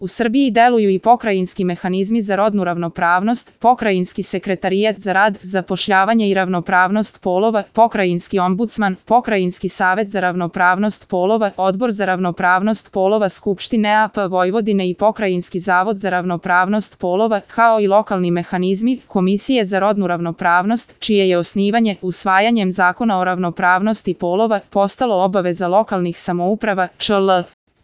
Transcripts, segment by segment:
U Srbiji deluju i pokrajinski mehanizmi za rodnu ravnopravnost, pokrajinski sekretarijat za rad, zapošljavanje i ravnopravnost polova, pokrajinski ombudsman, pokrajinski savet za ravnopravnost polova, odbor za ravnopravnost polova Skupštine AP Vojvodine i pokrajinski zavod za ravnopravnost polova, kao i lokalni mehanizmi, komisije za rodnu ravnopravnost, čije je osnivanje, usvajanjem Zakona o ravnopravnosti polova, postalo obaveza lokalnih samouprava, čl.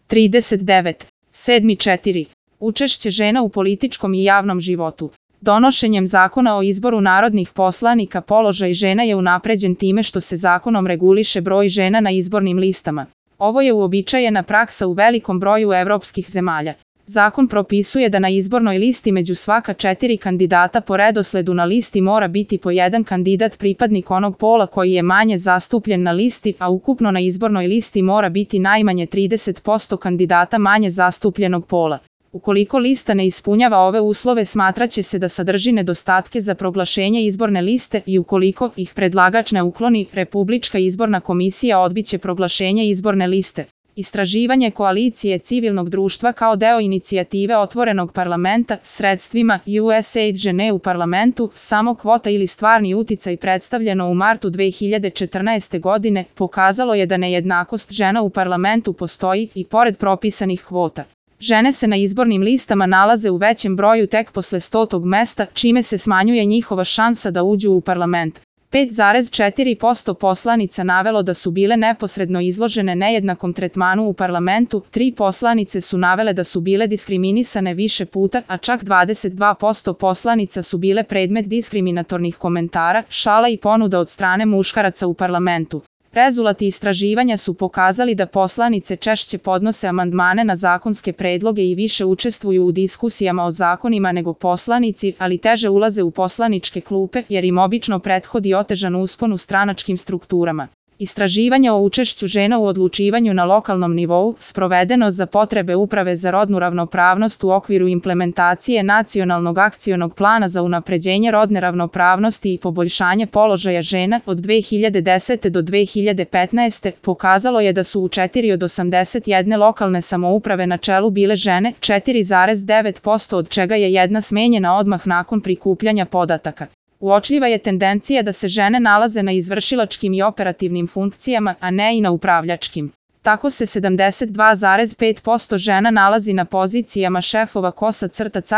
39. 7.4. Učešće žena u političkom i javnom životu. Donošenjem Zakona o izboru narodnih poslanika položaj žena je unapređen time što se zakonom reguliše broj žena na izbornim listama. Ovo je uobičajena praksa u velikom broju evropskih zemalja. Zakon propisuje da na izbornoj listi među svaka 4 kandidata po redosledu na listi mora biti po jedan kandidat pripadnik onog pola koji je manje zastupljen na listi, a ukupno na izbornoj listi mora biti najmanje 30% kandidata manje zastupljenog pola. Ukoliko lista ne ispunjava ove uslove, smatraće se da sadrži nedostatke za proglašenje izborne liste i ukoliko ih predlagač ne ukloni, Republička izborna komisija odbiće proglašenje izborne liste. Istraživanje koalicije civilnog društva kao deo inicijative Otvorenog parlamenta, sredstvima USAID žene u parlamentu, samo kvota ili stvarni uticaj predstavljeno u martu 2014. godine, pokazalo je da nejednakost žena u parlamentu postoji i pored propisanih kvota. Žene se na izbornim listama nalaze u većem broju tek posle 100. mesta, čime se smanjuje njihova šansa da uđu u parlament. 5,4% poslanica navelo da su bile neposredno izložene nejednakom tretmanu u parlamentu, 3 poslanice su navele da su bile diskriminisane više puta, a čak 22% poslanica su bile predmet diskriminatornih komentara, šala i ponuda od strane muškaraca u parlamentu. Rezultati istraživanja su pokazali da poslanice češće podnose amandmane na zakonske predloge i više učestvuju u diskusijama o zakonima nego poslanici, ali teže ulaze u poslaničke klupe jer im obično prethodi otežan uspon u stranačkim strukturama. Istraživanje o učešću žena u odlučivanju na lokalnom nivou, sprovedeno za potrebe Uprave za rodnu ravnopravnost u okviru implementacije Nacionalnog akcionog plana za unapređenje rodne ravnopravnosti i poboljšanje položaja žena od 2010. do 2015. pokazalo je da su u 4 od 81 lokalne samouprave na čelu bile žene, 4,9% od čega je jedna smenjena odmah nakon prikupljanja podataka. Uočljiva je tendencija da se žene nalaze na izvršilačkim i operativnim funkcijama, a ne i na upravljačkim. Tako se 72,5% žena nalazi na pozicijama šefova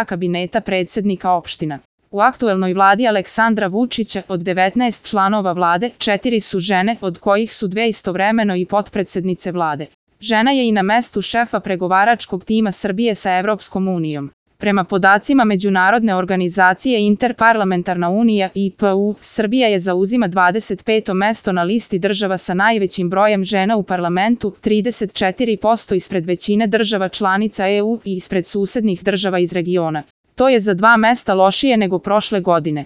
kabineta predsednika opština. U aktuelnoj vladi Aleksandra Vučića od 19 članova vlade, 4 su žene, od kojih su 2 istovremeno i potpredsednice vlade. Žena je i na mestu šefa pregovaračkog tima Srbije sa Evropskom unijom. Prema podacima Međunarodne organizacije Interparlamentarna unija IPU, Srbija je zauzima 25. mesto na listi država sa najvećim brojem žena u parlamentu, 34% ispred većine država članica EU i ispred susednih država iz regiona. To je za 2 mesta lošije nego prošle godine.